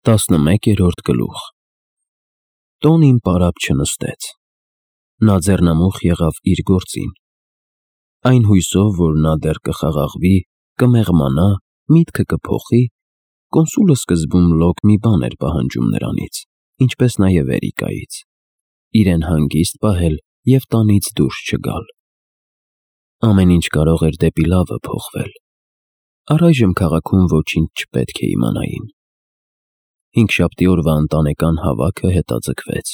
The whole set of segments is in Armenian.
11-րդ գլուխ Տոնին պարապ չնստեց, նա ձեռնամուխ եղավ իր գործին, այն հույսով, որ նա դեռ կխաղաղվի, կմեղմանա, միտքը կփոխի, կոնսուլը սկզբում լոկ մի բան էր պահանջում նրանից, ինչպես նաև Էրիկայից, իրեն հանգիստ պահել և տանից դուրս չգալ, ամեն ինչ կարող էր դեպի լավը փոխվել, առայժմ քաղաքում ոչինչ չպետք է իմանային, հինգշաբթի օրվա ընտանեկան հավաքը հետաձգվեց,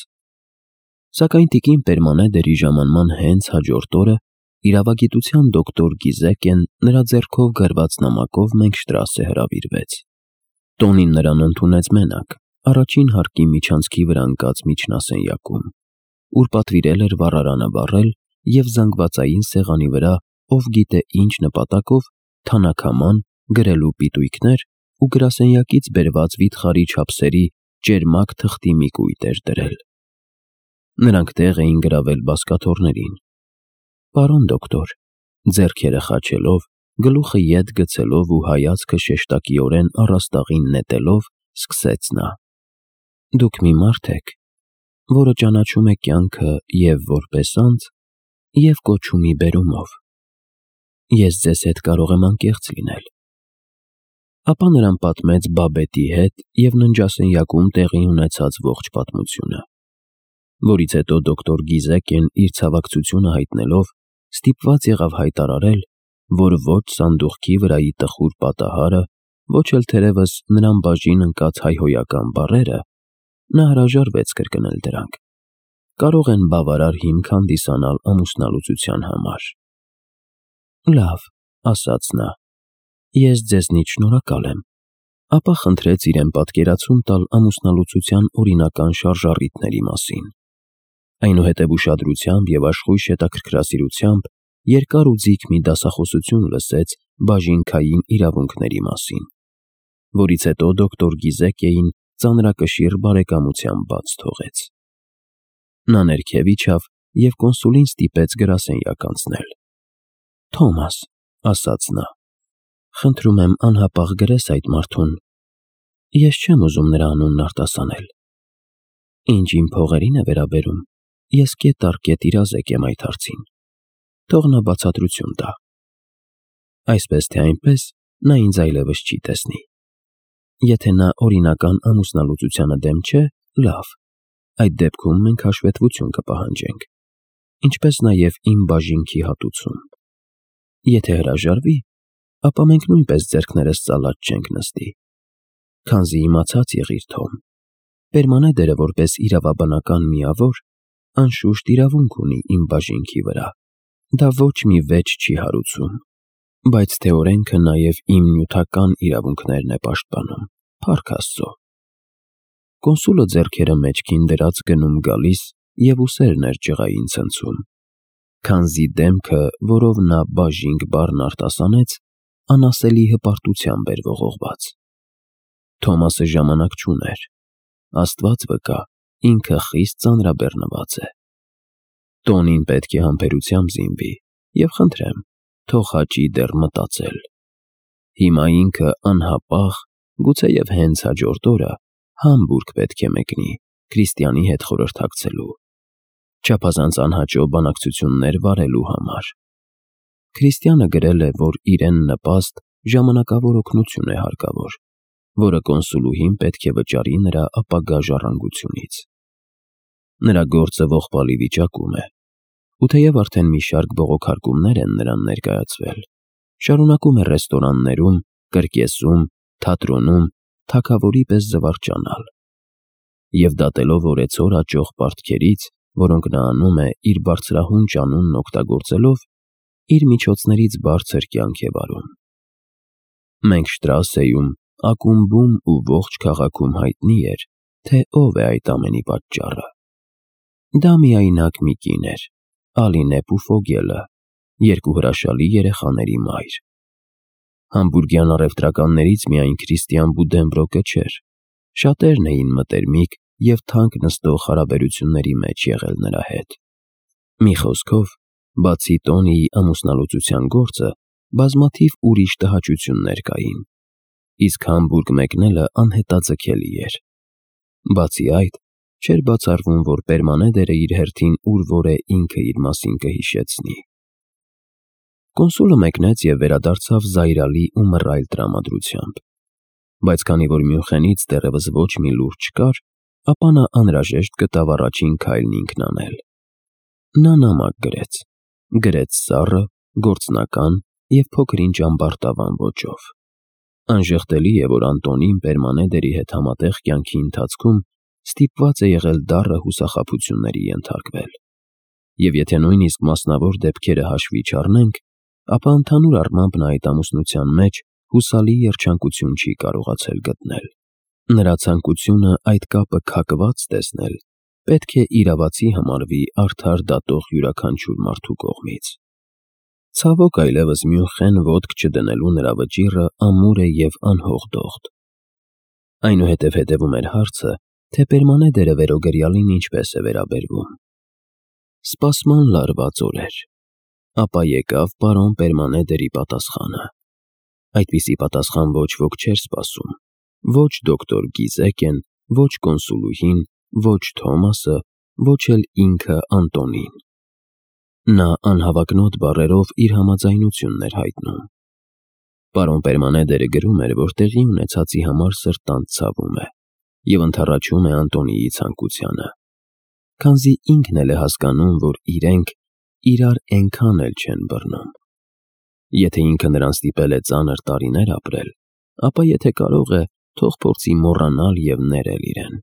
սակայն տիկին Պերմանեդերի ժամանման հենց հաջորդ օրը իրավագիտության դոկտոր Գիզեկեն նրա ձեռքով գրված նամակով Մենգշտրասե հրավիրվեց, տոնին նրան ընդունեց մենակ, առաջին հարկի միջանցքի վրա ընկած միջնասենյակում, ուր պատվիրել էր վառարանը վառել և զանգվածային սեղանի վրա ով գիտե ինչ նպատակով թանաքաման, գրելու պիտույքներ ու գրասենյակից բերված վիթխարի չափսերի ճերմակ թղթի մի կույտ էր դրել, նրանք տեղ էին գրավել բազկաթոռներին, պարոն դոկտոր, ձեռքերը խաչելով, գլուխը ետ գցելով ու հայացքը շեշտակիորեն առաստաղին նետելով, սկսեց նա. Դուք մի մարդ եք, որը ճանաչում է կյանքը և որպես անձ, և կոչում բերումով, ես ձեզ հետ կարող եմ անկեղծ լինել, ապա նրան պատմեց Բաբետի հետ և ննջասենյակում տեղի ունեցած ողջ պատմությունը, որից հետո դոկտոր Գիզեկեն իր ցավակցությունը հայտնելով, ստիպված եղավ հայտարարել, որ ոչ սանդուղքի վրայի տխուր պատահարը, ոչ էլ թերևս նրան բաժին ընկած հայհոյական բառերը, նա հրաժարվեց կրկնել դրանք, կարող են բավարար հիմք հանդիսանալ ամուսնալուծության համար։ Լավ, ասաց նա, ես ձեզնից շնորհակալ եմ, ապա խնդրեց իրեն պատկերացում տալ ամուսնալուծության օրինական շարժառիթների մասին, այնուհետև ուշադրությամբ և աշխույժ հետաքրքրասիրությամբ երկար ու ձիգ մի դասախոսություն լսեց բաժինքային իրավունքների մասին, որից հետո դոկտոր Գիզեկեին ծանրակշիռ բարեկամությամբ բաց թողեց։ Նա ներքև իջավ և կոնսուլին ստիպեց գրասենյակ անցնել։ Թոմաս, ասաց նա, խնդրում եմ անհապաղ գրես այդ մարդուն, ես չեմ ուզում նրա անունն արտասանել։ Ինչ իմ փողերին է վերաբերում, ես կետ առ կետ իրազեկ եմ այդ հարցին, թող նա բացատրություն տա։ Այսպես թե այնպես նա ինձ այլևս չի տեսնի։ Եթե նա օրինական ամուսնալուծությանը դեմ չէ, լավ, այդ դեպքում մենք հաշվետվություն կպահանջենք, ինչպես նաև իմ բաժինքի հատուցում։ Եթե հրաժարվի, ապա մենք նույնպես ձեռքներս ծալած չենք նստի, քանզի իմացած եղիր Թոմ, Պերմանեդերը որպես իրավաբանական միավոր, անշուշտ իրավունք ունի իմ բաժինքի վրա, դա ոչ մի վեճ չի հարուցում, բայց թե օրենքը նաև իմ նյութական իրավունքներն է պաշտպանում, փառք Աստծո։ Կոնսուլը ձեռքերը մեջքին դրած գնում գալիս և ուսերն էր ջղային ցնցում, քանզի դեմքը, որով նա բաժինք բառն արտասանեց, անասելի հպարտությամբ էր ողողված։ Թոմասը ժամանակ չուներ, Աստված վկա, ինքը խիստ ծանրաբեռնված է։ Տոնին պետք է համբերությամբ զինվի և խնդրեմ, թող հաճի դեռ մտածել։ Հիմա ինքը անհապաղ, գուցեև հենց հաջորդ օրը Համբուրգ պետք է մեկնի Քրիստիանի հետ խորհրդակցելու, չափազանց անհաճո բանակցություններ վարելու համար։ Քրիստիանը գրել է, որ իրեն նպաստ ժամանակավոր օգնություն է հարկավոր, որը կոնսուլուհին պետք է վճարի նրա ապագա ժառանգությունից։ Նրա գործը ողբալի վիճակում է, ու թեև արդեն մի շարք բողոքարկումներ են նրան ներկայացվել, շարունակում է ռեստորաններում, կրկեսում, թատրոնում, թագավորի պես զվարճանալ։ Եվ դատելով օրեցօր աճող պարտքերից, որոնք նա անում է իր բարձրահունչ անունն օգտագործելով, իր միջոցներից բարձր կյանք է վարում։ Մենգշտրասեում, ակումբում ու ողջ քաղաքում հայտնի էր, թե ով է այդ ամենի պատճառը։ Դա միայնակ մի կին էր, Ալինե Պուֆոգելը, երկու հրաշալի երեխաների մայր։ Համբուրգյան առևտրականներից միայն Քրիստիան Բուդենբրոկը չէր, շատերն էին մտերմիկ և թանկ նստող հարաբերությունների մեջ եղել նրա հետ։ Մի խոսքով, բացի Տոնիի ամուսնալուծության գործը, բազմաթիվ ուրիշ տհաճություններ կային, իսկ Համբուրգ մեկնելը անհետաձգելի էր։ Բացի այդ, չէր բացառվում, որ Պերմանեդերը իր հերթին ուր-որ է ինքը իր մասին կհիշեցնի։ Կոնսուլը մեկնեց և վերադարձավ զայրալի ու մռայլ տրամադրությամբ, բայց քանի որ Մյունխենից դեռևս ոչ մի լուր չկար, ապա նա անհրաժեշտ գտավ առաջին քայլն ինքն անել։ Նա նամակ գրեց սառը, գործնական և փոքր-ինչ ամբարտավան ոճով։ Անժխտելի է, որ Անտոնին Պերմանեդերի հետ համատեղ կյանքի ընթացքում ստիպված է եղել դառը հուսախաբությունների ենթարկվել, և եթե նույնիսկ մասնավոր դեպքերը հաշվի չառնենք, ապա ընդհանուր առմամբ նա այդ ամուսնության մեջ հուսալի երջանկություն չի կարողացել գտնել։ Նրա ցանկությունը այդ կապը քակված տեսնել պետք է իրավացի համարվի արդար դատող յուրաքանչյուր մարդու կողմից։ Ցավոք այլևս Մյունխեն ոտք չդնելու նրա վճիռը ամուր է և անհողդողդ։ Այնուհետև հետևում էր հարցը, թե Պերմանեդերը վերոգրյալին ինչպես է վերաբերվում։ Սպասման լարված օրեր։ Ապա եկավ պարոն Պերմանեդերի պատասխանը։ Այդպիսի պատասխան ոչ ոք չէր սպասում, ոչ դոկտոր Գիզեկեն, ոչ կոնսուլուհին, ոչ Թոմասը, ոչ էլ ինքը Անտոնին։ Նա անհավակնոտ բառերով իր համաձայնությունն էր հայտնում։ Պարոն Պերմանեդերը գրում էր, որ տեղի ունեցածի համար սրտանց ցավում է և ընդառաջում է Անտոնիի ցանկությանը, քանզի ինքն էլ է հասկանում, որ իրենք իրար էնքան էլ չեն բռնում։ Եթե ինքը նրան ստիպել է ծանր տարիներ ապրել, ապա եթե կարող է, թող փորձի մոռանալ և ներել իրեն։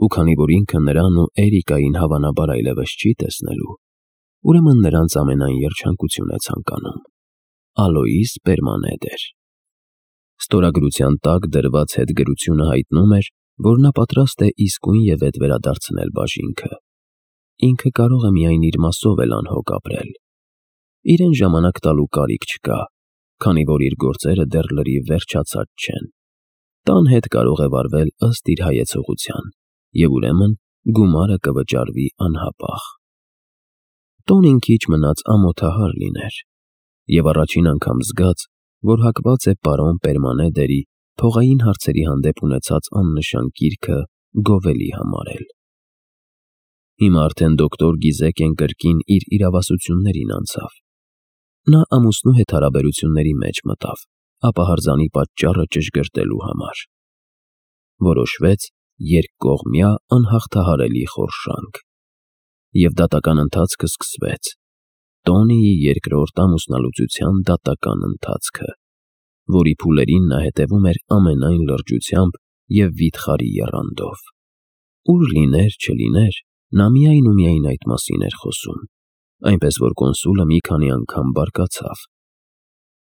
Ու քանի որ ինքը նրան ու Էրիկային հավանաբար այլևս չի տեսնելու, ուրեմն նրանց ամենայն երջանկություն է ցանկանում։ Ալոիս Պերմանեդեր։ Ստորագրության տակ դրված հետգրությունը հայտնում էր, որ նա պատրաստ է իսկույն և ետ վերադարձնել բաժինքը։ Ինքը կարող է միայն իր մասով էլ անհոգ ապրել։ Իրեն ժամանակ տալու կարիք չկա, քանի որ իր գործերը դեռ լրիվ վերջացած չեն։ Տան հետ կարող է վարվել ըստ իր հայեցողության, և ուրեմն գումարը կվճարվի անհապաղ։ Տոնին քիչ մնաց ամոթահար լիներ, և առաջին անգամ զգաց, որ հակված է պարոն Պերմանեդերի փողային հարցերի հանդեպ ունեցած աննշան կիրքը գովելի համարել։ Հիմա արդեն դոկտոր Գիզեկեն կրկին իր իրավասություններին անցավ։ Նա ամուսնու հետ հարաբերությունների մեջ մտավ, ապահարզանի պատճառը ճշգրտելու համար։ Որոշվեց երկկողմյա անհաղթահարելի խորշանք։ Եվ դատական ընթացքը սկսվեց։ Տոնիի երկրորդ ամուսնալուծության դատական ընթացքը, որի փուլերին նա հետևում էր ամենայն լրջությամբ և վիթխարի եռանդով։ Ուր լիներ, չլիներ, նա միայն ու միայն այդ մասին էր խոսում, այնպես որ կոնսուլը մի քանի անգամ բարկացավ։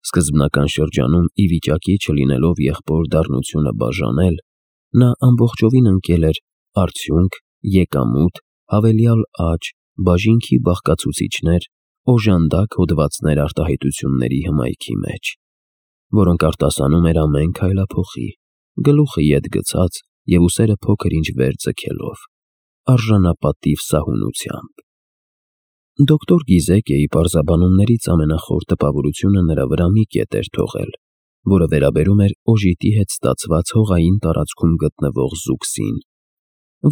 Սկզբնական շրջանում ի վիճակի չլինելով եղբոր դառնությունը բաժանել, նա ամբողջովին ընկել էր արդյունք, եկամուտ, հավելյալ աճ, բաժինքի բաղկացուցիչներ, օժանդակ հոդվածներ արտահայտությունների հմայքի մեջ, որոնք արտասանում էր ամեն քայլափոխի, գլուխը ետ գցած և ուսերը փոքր-ինչ վեր ձգելով, արժանապատիվ սահունությամբ։ Դոկտոր Գիզեկեի պարզաբանումներից ամենախոր տպավորությունը նրա վրա մի կետ էր թողել, որը վերաբերում էր օժիտի հետ ստացված հողային տարածքում գտնվող զուգսին,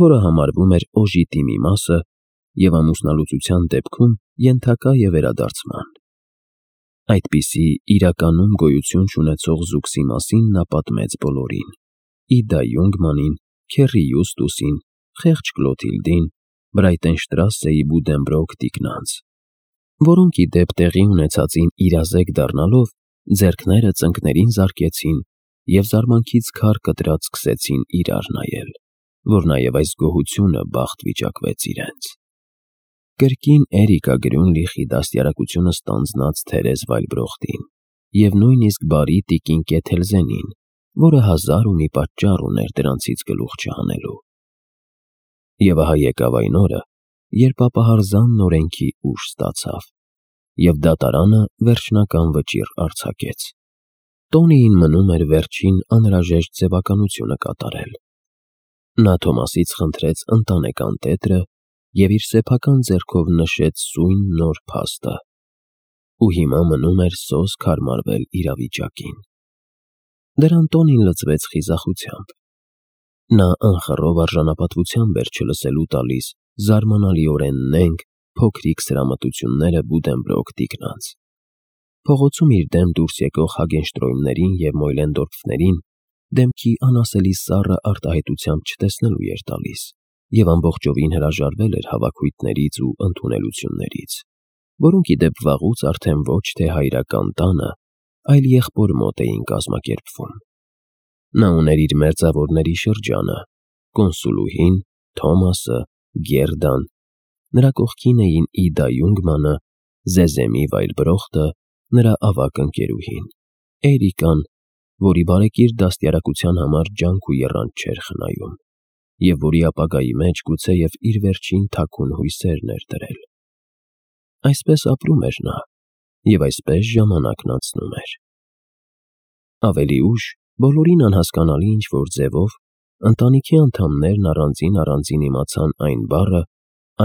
որը համարվում էր օժիտի մի մասը և ամուսնալուծության դեպքում ենթակա է վերադարձման։ Այդպիսի իրականում գոյություն չունեցող զուգսի մասին նա պատմեց բոլորին՝ Իդա Յունգմանին, Քերի Յուստուսին, խեղճ Կլոթիլդին, Բրայտենշտրասեի Բուդենբրոկ տիկնանց, որոնք ի դեպ տեղի ունեցածին իրազեկ դառնալով, ձեռքները ծնկներին զարկեցին և զարմանքից քար կտրած սկսեցին իրար նայել, որ նաև այս գոհությունը բախտ վիճակվեց իրենց։ Կրկին Էրիկա Գրյունլիխի դաստիարակությունը ստանձնած Թերեզ Վայլբրոխտին և նույնիսկ բարի տիկին Կեթելզենին, որը հազար ու մի պատճառ ուներ դրանցից գլուխ չհանելու։ Եվ ահա եկավ այն օրը, երբ ապահարզանն օրենքի ուժ ստացավ, և դատարանը վերջնական վճիռ արձակեց։ Տոնիին մնում էր վերջին անհրաժեշտ ձևականությունը կատարել։ Նա Թոմասից խնդրեց ընտանեկան տետրը և իր սեփական ձեռքով նշեց սույն նոր փաստը, ու հիմա մնում էր սոսկ հարմարվել իրավիճակին։ Դրան տոնին լծվեց խիզախությամբ։ Նա անխռով արժանապատվությամբ էր չլսելու տալիս զարմանալիորեն նենգ, փոքրիկ սրամտությունները Բուդենբրոկ տիկնանց։ Փողոցում իր դեմ դուրս եկող Հագենշտրոյմներին և Մոյլենդորֆներին դեմքի անասելի սառը արտահայտությամբ չտեսնելու էր տալիս, և ամբողջովին հրաժարվել էր հավաքույթներից ու ընդունելություններից, որոնք ի դեպ վաղուց արդեն ոչ թե հայրական տանը, այլ եղբոր մոտ էին կազմակերպվում։ Նա ուներ իր մերձավորների շրջանը՝ կոնսուլուհին, Թոմասը, Գերդան, նրա կողքին էին Իդա Յունգմանը, Զեզեմի Վայլբրոխտը, նրա ավագ ընկերուհին, Էրիկան, որի բարեկիր դաստիարակության համար ջանք ու եռանդ չէր խնայում, և որի ապագայի մեջ գուցեև իր վերջին թաքուն հույսերն էր դրել։ Այսպես ապրում էր նա, և այսպես ժամանակն անցնում էր։ Ավելի ուշ բոլորին անհասկանալի ինչ-որ ձևով ընտանիքի անդամներն առանձին իմացան այն բառը,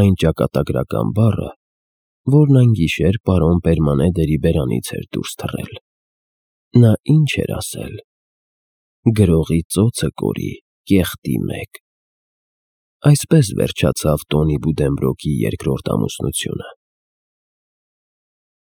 այն ճակատագրական բառը, որն այն գիշեր պարոն Պերմանեդերի բերանից էր դուրս թռել։ Նա ինչ էր ասել. «Գրողի ծոցը կորի, կեղտի մեկ»։ Այսպես վերջացավ Տոնի Բուդենբրոկի երկրորդ ամուսնությունը։